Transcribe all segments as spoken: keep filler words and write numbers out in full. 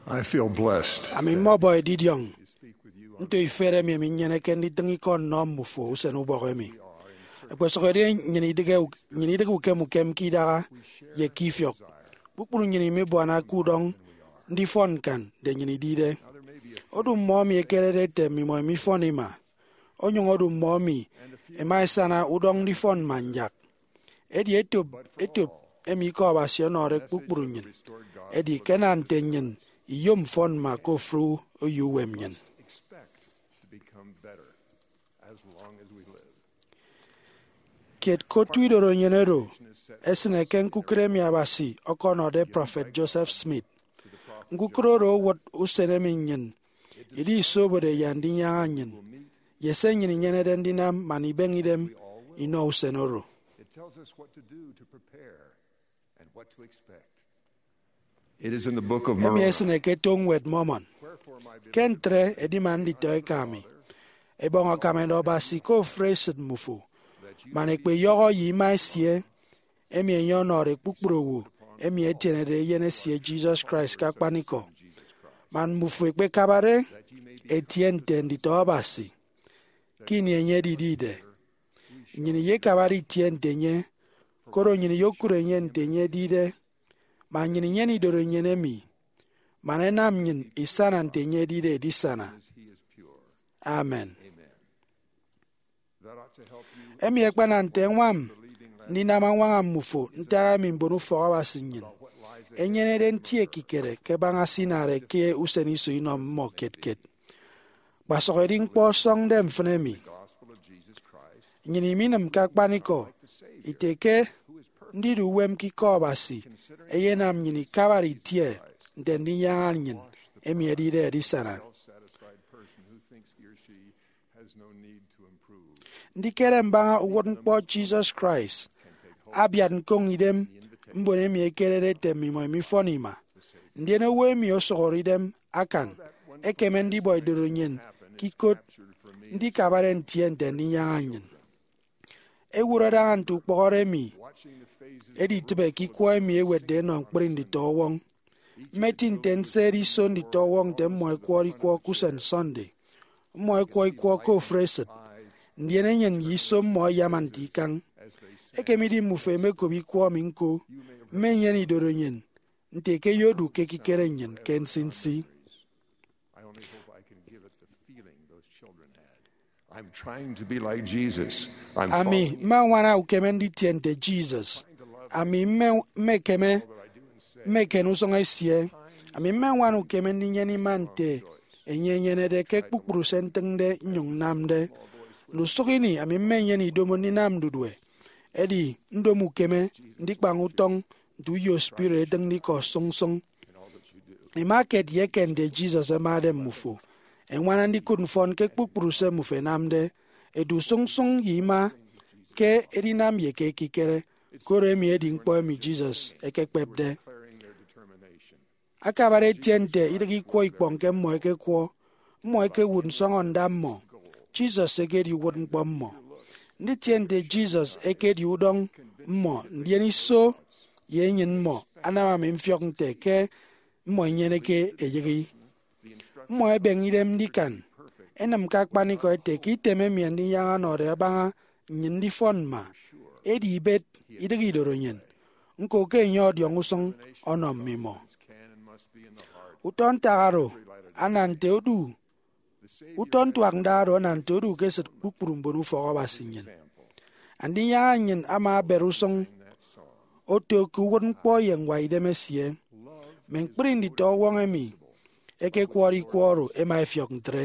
I feel blessed. Ami mmọbọ edidiọñ nto ifet emi emi nnyeneke nditịñ ikọ nnọ mmufo usen ubọk emi. Ẹkpesụk edi nnyịn idịghe, nnyịn idịghe ukem ukem ke idaha ye ke ifiọk. Kpukpru nnyịn imibuana ke udọñ ndifọn ñkan nte nnyịn idide. Odu mmọ emi ẹkerede ete mmimọ imifọn ima. Onyụñ odu mmọ emi ẹma ẹsana udọñ ndifọn man yak. Edi etop etop emi Ikọ Abasi ọnọde kpukpru nnyịn. Edi ke ana nte nnyịn iyom mfọn mma ke ofụri oyo uwem nnyịn. Kiet ke otu idorenyin oro esịne ke ñkukịre emi Abasi ọkọnọde Prọfet Joseph Smith. Ñkukịre oro owụt usen emi nnyịn idisobode ye Andinyaña nnyịn, ye se nnyịn inyenede ndinam man ibeñe idem inọ usen oro. It is in the Book of Emi Mormon. Esịne ke eto Ñwed Mormon. Ke ntre, edima nditọ eka mi, ẹbọñ akam ẹnọ Abasi ke ofụri esịt mmufo, man ẹkpeyọhọ ye ima esie, emi enye ọnọde kpukpru owo emi ẹtienede Eyen esie Jesus Christ ke akpanikọ, man mmufo ẹkpekabare ẹtie nte nditọ Abasi. Ke ini enye edidide, nnyịn iyekabade itie nte enye, koro nnyịn iyokụt enye nte enye edide, man nnyịn inyene idorenyin emi, man ẹnam nnyịn isana nte enye edide edisana. Amen. Emi akpana nte ẹñwam ndinam añwaña mmufo ntak emi mbon ufọk Abasi nnyịn ẹnyenede nti ekikere ke baña se inade ke usen iso inọ mmọ kiet kiet. Kpasụk edi ñkpọ ọsọñde mfịn emi. Nnyịn iminịm ke akpanikọ ite ke ndidu uwem ke Ikọ Abasi eyenam nnyịn ikabade itie nte Andinyaña nnyịn emi edide edisana. Ndikere mbaña uwụtñkpọ Jesus Christ abiat ñkoñ idem mbon emi ẹkerede ete mmimọ imifọn ima, ndien owo emi osụhọre idem akan ekeme ndibọ idorenyin ke ikot ndikabade ntie nte Andinyaña nnyịn. Ewụt adaña nte ukpọhọre emi editịbe ke ikwọ emi ẹwetde ẹnọ ñkpri nditọwọñ. Mme eti nte nse edi iso nditọwọñ nte mmọ ẹkwọrọ ikwọ ke usen Sunday. Mmọ ẹkwọ ikwọ ke ofụri esịt, ndien enyịn ye iso mmọ ẹyama nte ikañ. Ekemidi mmufo ẹmekop ikwọ emi ñko, mmenyene idorenyin nte ke ẹyodu ke ekikere nnyịn ke nsinsi. I'm trying to be like Jesus. Ami mmeñwana ukeme nditie nte Jesus. Ami mme- mmekeme mmeken usụñ esie. Ami mmeñwana ukeme ndinyene ima nte enye enyenede ke kpukpru se ntịñde nnyụñ nnamde. Ndusụk ini ami mmenyene idomo ndinam ndudue. Edi ndomo ukeme ndikpañ utọñ nte uyo spirit etịñde ikọ sụñsụñ. Ima kiet ye eken nte Jesus ẹmade mmufo. Ẹñwana ndikụt mfọn ke kpukpru se mmufo ẹnamde. Edu sụñsụñ ye ima ke edinam ye ke ekikere, koro emi edi ñkpọ emi Jesus ekekpepde. Akabade etie nte idịghe ikwọ ikpọñ ke mmọ ẹkekwọ, mmọ ẹkewụt nsọñọnda mmọ. Jesus ekedi uwụtñkpọ mmọ. Nditie nte Jesus ekedi udọñ mmọ, ndien iso ye enyịn mmọ anam ami mfiọk nte ke mmọ inyeneke eyịghi. Mmọ ẹbeñe idem ndikan, ẹnịm ke akpanikọ ẹte ke item emi Andinyaña ọnọde abaña nnyịn ndifọn mma, edi ibet, idịghe idorenyin. Ñko ke enye ọdiọñ usụñ ọnọ mmimọ. Utọ ntak oro ana nte odu Utọ ntuak nda oro ana nte odu ke esịt kpukpru mbon ufọk Abasi nnyịn. Andinyaña nnyịn ama abere usụñ oto ke uwụtñkpọ ye ñwaidem esie. Mme ñkpri nditọwọñ emi ẹkekwọrọ ikwọ oro ẹma ẹfiọk ntre.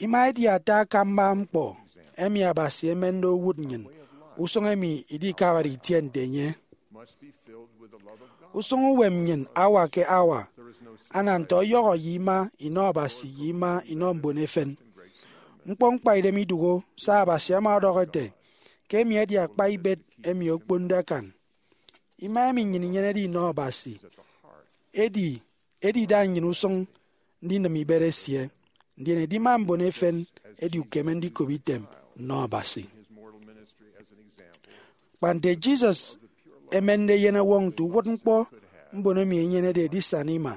Ima edi ata akamba ñkpọ emi Abasi emende owụt nnyịn, usụñ emi idikabade itie nte enye. Usụñ uwem nnyịn hour ke hour ana nte ọyọhọ ye ima inọ Abasi ye ima inọ mbon efen. Ñkpọ ñkpaidem idụhe se Abasi ama ọdọhọ ete ke emi edi akpa ibet emi okponde akan. Ima emi nnyịn inyenede inọ Abasi edi edida nnyịn usụñ ndinịm ibet esie, ndien edima mbon efen edi ukeme ndikop item nnọ Abasi. Kpa nte Jesus emende eyenọwọñ nte uwụtñkpọ mbon emi enyenede edisana ima,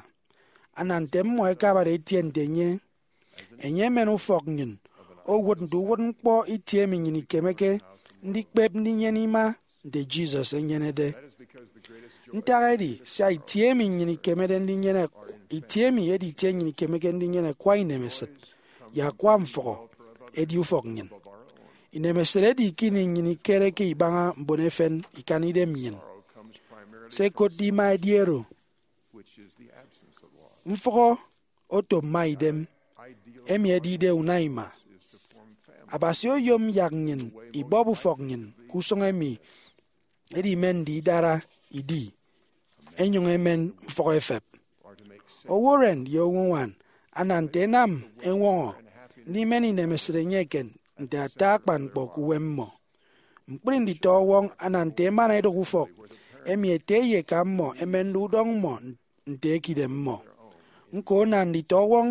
ana nte mmọ ẹkabade ẹtie nte enye. Enye emen ufọk nnyịn owụt nte uwụtñkpọ itie emi nnyịn ikemeke ndikpep ndinyene ima nte Jesus enyenede. Ntak edi sia itie emi nnyịn ikemede ndinyene, itie emi edi itie nnyịn ikemeke ndinyene ẹkwa inemesịt ye akwa mfụhọ edi ufọk nnyịn. Inemesịt edi ke ini nnyịn ikereke ibaña mbon efen ikan idem nnyịn. Se ẹkotde ima edi oro. Mfụhọ oto mma idem, emi edide una ima. Abasi oyom yak nnyịn ibọp ufọk nnyịn ke usụñ emi edimende idara idi, enyụñ emen mfụhọ efep. Owo uren ye owo uñwan ana nte ẹnam ẹñwọñọ ndimen inemesịt enye eken nte ata akpan ñkpọ ke uwem mmọ. Ñkpri nditọwọñ ana nte emana edụk ufọk emi ete ye eka mmọ ẹmende udọñ mmọ nte ekidem mmọ. Ñko, ana nditọwọñ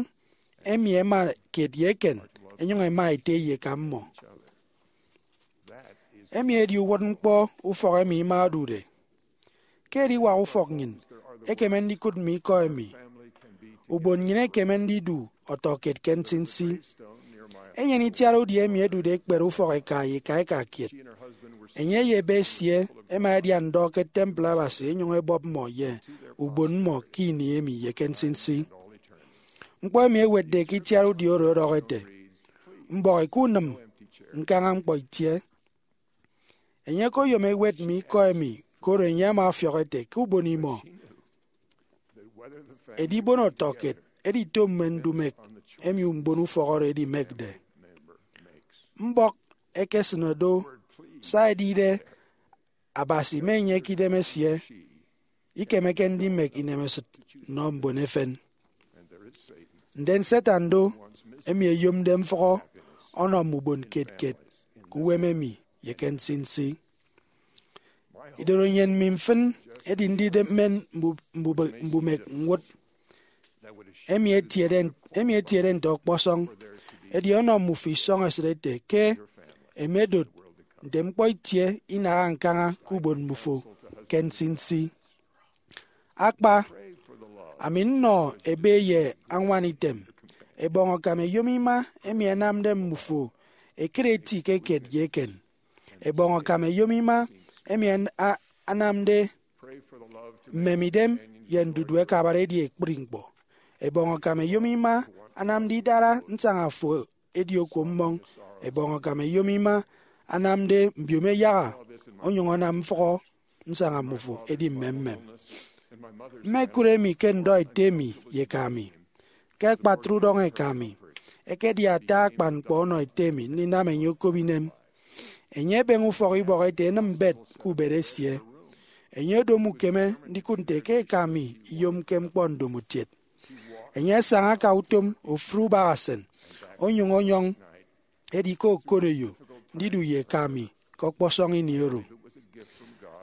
emi ẹma kiet ye eken, ẹnyụñ ẹma ete ye eka mmọ. Emi edi uwụtñkpọ ufọk emi ima odude. Ke ediwak ufọk nnyịn, ekeme ndikụt mme ikọ emi ubon nnyịn ekeme ndidu ọtọkiet ke nsinsi. Enyene itiat udi emi edude ekpere ufọk eka ye eka eka kiet. Enye ye ebe esie ẹma ẹdia ndọ ke temple Abasi, ẹnyụñ ẹbọp mmọ ye ubon mmọ ke ini emi ye ke nsinsi. Ñkpọ emi ewetde ke itiat udi oro ọdọhọ ete, mbọhọ ke unịm ñkaña ñkpọ itie. Enye okoyom ewet mme ikọ emi, koro enye ama ọfiọk ete ke ubon imọ edibon ọtọkiet edito mme ndumek emi mbon ufọk oro ẹdimekde. Mbọk ekesịne do, sia edide Abasi me enye ke idem esie, ikemeke ndimek inemesịt nnọ mbon efen. Ndien Satan do, emi eyomde mfụhọ ọnọ mme ubon kiet kiet ke uwem emi ye ke nsinsi. Idoro nnyịn mi mfịn edi ndidemen mbu-, mbube-, mbumek ñwụt emi etiede, emi etiede nte ọkpọsọñ, edi ọnọ mmufo isọñ esịt ete ke emedot nte ñkpọ itie inaha ñkaña ke ubon mmufo ke nsinsi. Akpa, ami nnọ ebe ye añwan item, ẹbọñ akam ẹyom ima emi ẹnamde mmufo ẹkere eti ke kiet ye eken. Ẹbọñ akam ẹyom ima emi an-, a-, anamde mmemidem ye ndudu ẹkabade edi ekpri ñkpọ. Ẹbọñ akam ẹyom ima anamde idara nsaña fo edi okuo mmọñ. Ẹbọñ akam ẹyom ima anamde mbiomo ẹyaha, onyụñ anam mfụhọ nsaña mmufo edi mmemmem. Mmekụt emi ke ndọ ete mi ye eka mi. Ke akpatre udọñ eka mi, ekedi ata akpan ñkpọ ọnọ ete mi ndinam enye okop inem. Enye ebeñe ufọk ibọk ete enịm mbet ke ubet esie. Enye odomo ukeme ndikụt nte ke eka mi iyomke ñkpọ ndomokiet. Enye asaña aka utom ofụri ubahasịn, onyụñ ọnyọñ edi ke okoneyo ndidu ye eka mi ke ọkpọsọñ ini oro.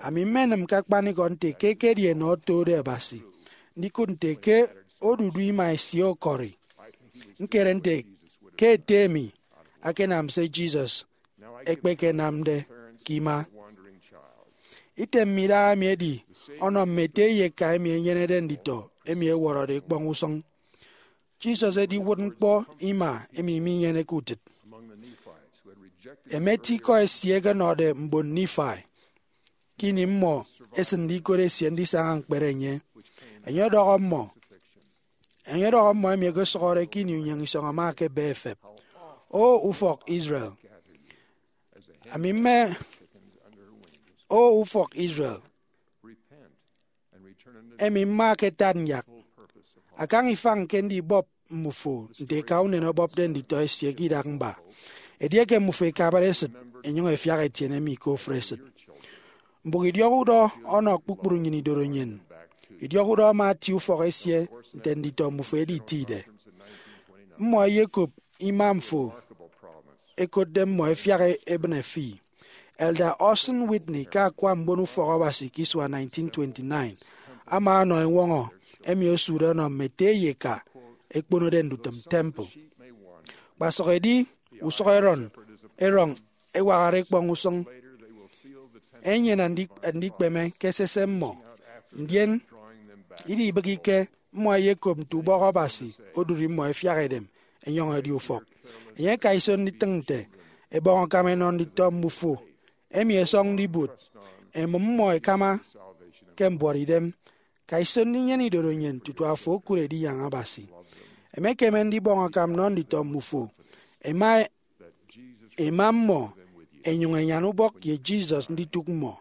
Ami mmenịm ke akpanikọ nte ke ekedi enọ otode Abasi ndikụt nte ke odudu ima esie ọkọri. Ñkere nte ke ete mi akanam se Jesus ekpekenamde ke ima. Item mme idaha emi edi ọnọ mme ete ye eka emi ẹnyenede nditọ emi ẹwọrọde ekpọñ usụñ. Jesus edi uwụtñkpọ ima emi minyeneke utịt. Emet ikọ esie ẹkenọde mbon Nifai ke ini mmọ ẹsịnde ikot esie ndisaña ñkpere enye. Enye ọdọhọ mmọ, enye ọdọhọ mmọ emi ẹkesụhọde ke ini unyịñ isọñ ama ke ebe efep, O ufọk Israel, ami mme, O ufọk Israel, emi mma ke tat nyak, akañ ifañ ke ndibọp mmufo nte eka unen ọbọpde nditọ esie ke idak mba. Edieke mmufo ikabade esịt, enyụñ efiak etiene mi ke ofụri esịt. Mbụk idiọk udọ ọnọ kpukpru nnyịn idoro nnyịn. Idiọk udọ ama atie ufọk esie nte nditọ mmufo ẹditide. Mmọ ẹyekop ima mfo ẹkotde mmọ ẹfiak e-, ẹbịne fi. Elder Orson Whitney ke akwa mbon ufọk Abasi ke isua nineteen twenty-nine ama ọnọ eñwọñọ emi osude ọnọ mme ete ye eka ẹkponode ndutịm temple. Kpasụk edi usụk erọn, erọñ ẹwakde ekpọñ usụñ, ẹnyene andi-, andikpeme ke esese mmọ, ndien Idibịghike, mmọ ẹyekop nte ubọk Abasi odụri mmọ ẹfiak edem ẹnyọñ ẹdi ufọk. Enye aka iso nditịñ nte ebọñ akam ẹnọ nditọ mbufo emi ẹsọñde ibuot, ẹmụm mmọ ẹkama ke mbuọtidem. Ka iso ndinyene idorenyin tutu afo okụre edinyaña Abasi. Emekeme ndibọñ akam nnọ nditọ mbufo, ẹma, ẹma mmọ, ẹnyụñ ẹnyan ubọk ye Jesus nditụk mmọ.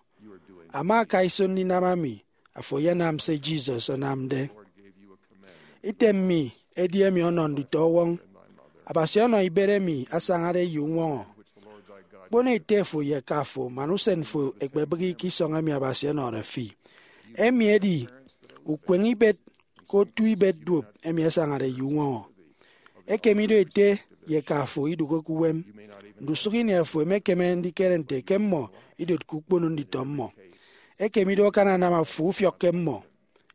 Ama aka iso ndinam ami, afo eyenam se Jesus anamde. Item mi edi emi ọnọ nditọ ọwọñ. Abasi ọnọ ibet emi asañade ye uñwọñọ. Kpono ete fo ye eka fo man usen fo ẹkpebịghike isọñ emi Abasi ọnọde fi. Emi edi ukweñ ibet ke otu ibet duop emi asañade ye uñwọñọ. Ekem ido ete ye eka fo idụkke ke uwem. Ndusụk ini afo emekeme ndikere nte ke mmọ idotke ukpono nditọ mmọ. Ekem ido akananam afo ufiọkke mmọ,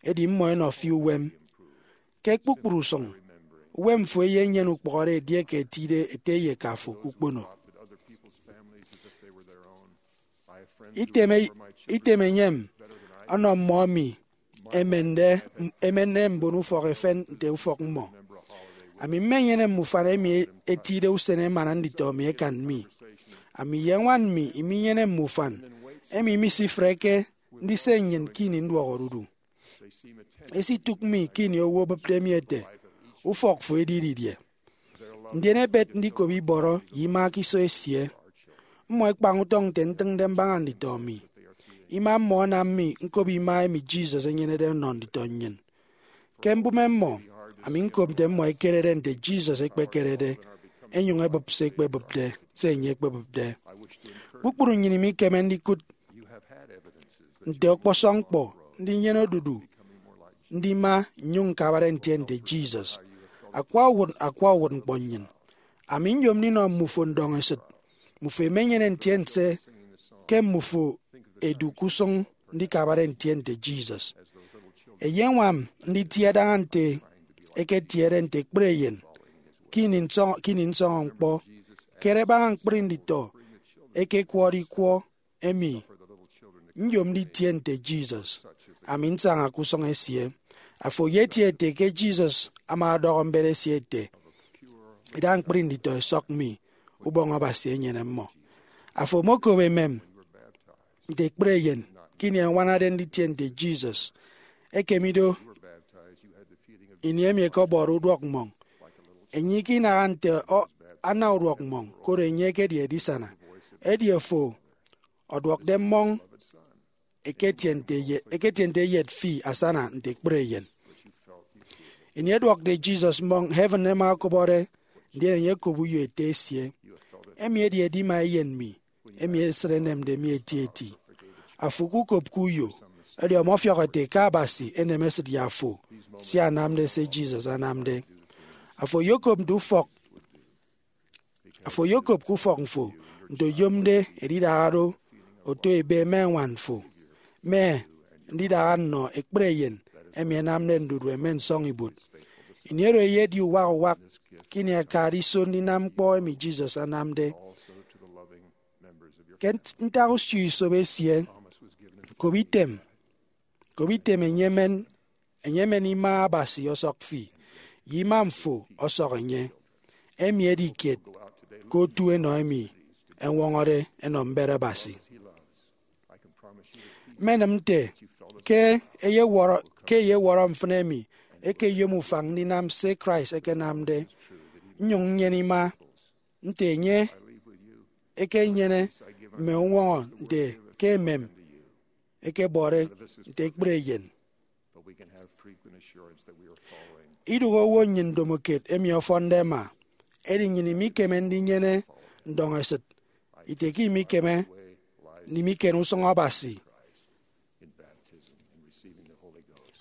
edi mmọ ẹnọ fi uwem. Ke kpukpru usụñ, uwem fo eyenyene ukpọhọde edieke etide ete ye eka fo ke ukpono. Item, item enyem ọnọ mmọ emi ẹmende, ẹmende mbon ufọk efen nte ufọk mmọ. Ami mmenyene mme ufan emi etide usen emana nditọ mi ẹkan mi. Ami ye ñwan mi iminyene mme ufan emi misifreke ndise nnyịn ke ini nduọk odudu. Esitụk mi ke ini owo obịpde mi ete, "Ufọk fo edi didie?" Ndien ebet ndikop ibọrọ ye ima ke iso esie. Mmọ ẹkpañ utọñ nte ntịñde mbaña nditọ mi. Ima mmọ anam mi ñkop ima emi Jesus enyenede ọnọ nditọ nnyịn. Ke mbụme mmọ, ami ñkop nte mmọ ẹkerede nte Jesus ekpekerede, ẹnyụñ ẹbụp se ekpebụpde, se enye ekpebụpde. Kpukpru nnyịn imikeme ndikụt nte ọkpọsọñ ñkpọ ndinyene odudu ndima nnyụñ ñkabare ntie nte Jesus. Akwa uwụt, akwa uwụtñkpọ nnyịn. Ami nyom ndinọ mmufo ndọñesịt. Mmufo imenyene ntiense ke mmufo ẹdu ke usụñ ndikabare ntie nte Jesus. Eyeñwam nditie daña nte eketiede nte ekpri eyen ke ini nsọñ-, ke ini nsọñọ ñkpọ. Kere baña ñkpri nditọ ẹkekwọde ikwọ emi, "Nyom nditie nte Jesus, ami nsaña ke usụñ esie." Afo eyetie ete ke Jesus ama ọdọhọ mbet esie ete, "Ida ñkpri nditọ ẹsọk mi, Ubọñ Abasi enyene mmọ." Afo omokop emem nte ekpri eyen ke ini ẹñwanade nditie nte Jesus. Ekem ido, ini emi ẹkọbọde uduọk mmọñ, enye ikinaha nte ọ-, ana uduọk mmọñ, koro enye ekedi edisana. Edi afo ọduọkde mmọñ, eketie nte ye-, eketie nte eyet fi asana nte ekpri eyen. Ini ẹduọkde Jesus mmọñ, heaven ẹma ẹkọbọde, ndien enye ẹkop uyo ete esie, "Emi edi edima eyen mi, emi esịt enemde mi etieti." Afo ukukopke uyo, edi ọmọfiọk ete ke Abasi enem esịt ye afo, sia anamde se Jesus anamde. Afo oyokop nte ufọk, afo oyokop ke ufọk fo nte oyomde edidaha do, oto ebe mme ñwan fo, mme ndidaha nnọ ekpri eyen emi ẹnamde ndudu ẹmen nsọñibuot. Ini oro eyedi uwak uwak ke ini akade iso ndinam ñkpọ emi Jesus anamde. Ke ntak usio isop esie, kop item, kop item enye emen, enye emen ima Abasi ọsọk fi, ye ima mfo ọsọk enye. Emi edi kiet ke otu enọ emi ẹñwọñọde ẹnọ mbet Abasi. Mmenịm nte ke eyewọrọ, ke eyewọrọ mfịn emi ekeyom ufañ ndinam se Christ ekenamde, nnyụñ nnyene ima nte enye ekenyene mme uñwọñọ nte ke emem ekebọde nte ekpri eyen. Idụhe owo nnyịn ndomokiet emi ọfọnde ẹma, edi nnyịn imikeme ndinyene ndọñesịt ite ke imikeme ndimiken usụñ Abasi.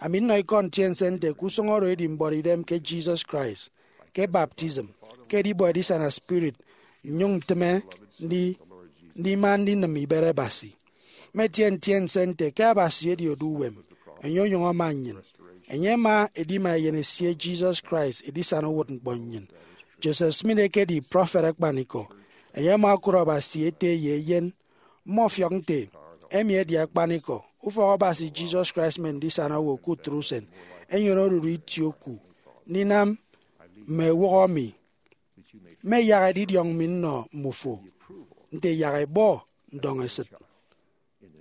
Ami nnọ ikọ ntiense nte ke usụñ oro edi mbuọtidem ke Jesus Christ, ke baptism, ke edibọ edisana spirit, nnyụñ ntịme ndi-, ndima ndinịm ibet Abasi. Mmetie ntiense nte ke Abasi edi odu uwem, enye onyụñ ama nnyịn. Enye ama edima Eyen esie Jesus Christ edisana uwụtñkpọ nnyịn. Joseph Smith ekedi prọfet akpanikọ. Enye ama okụt Abasi Ete ye Eyen. Mmọfiọk nte emi edi akpanikọ. Ufọk Abasi Jesus Christ mme ndisana owo ke utre usen enyene oruru itie oku ndinam mme ewụhọ mi, mme yak edidiọñ mi nnọ mmufo nte yak ebọ ndọñesịt,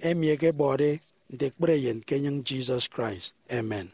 emi ẹkebọde nte ekpere eyen ke enyịñ Jesus Christ. Amen.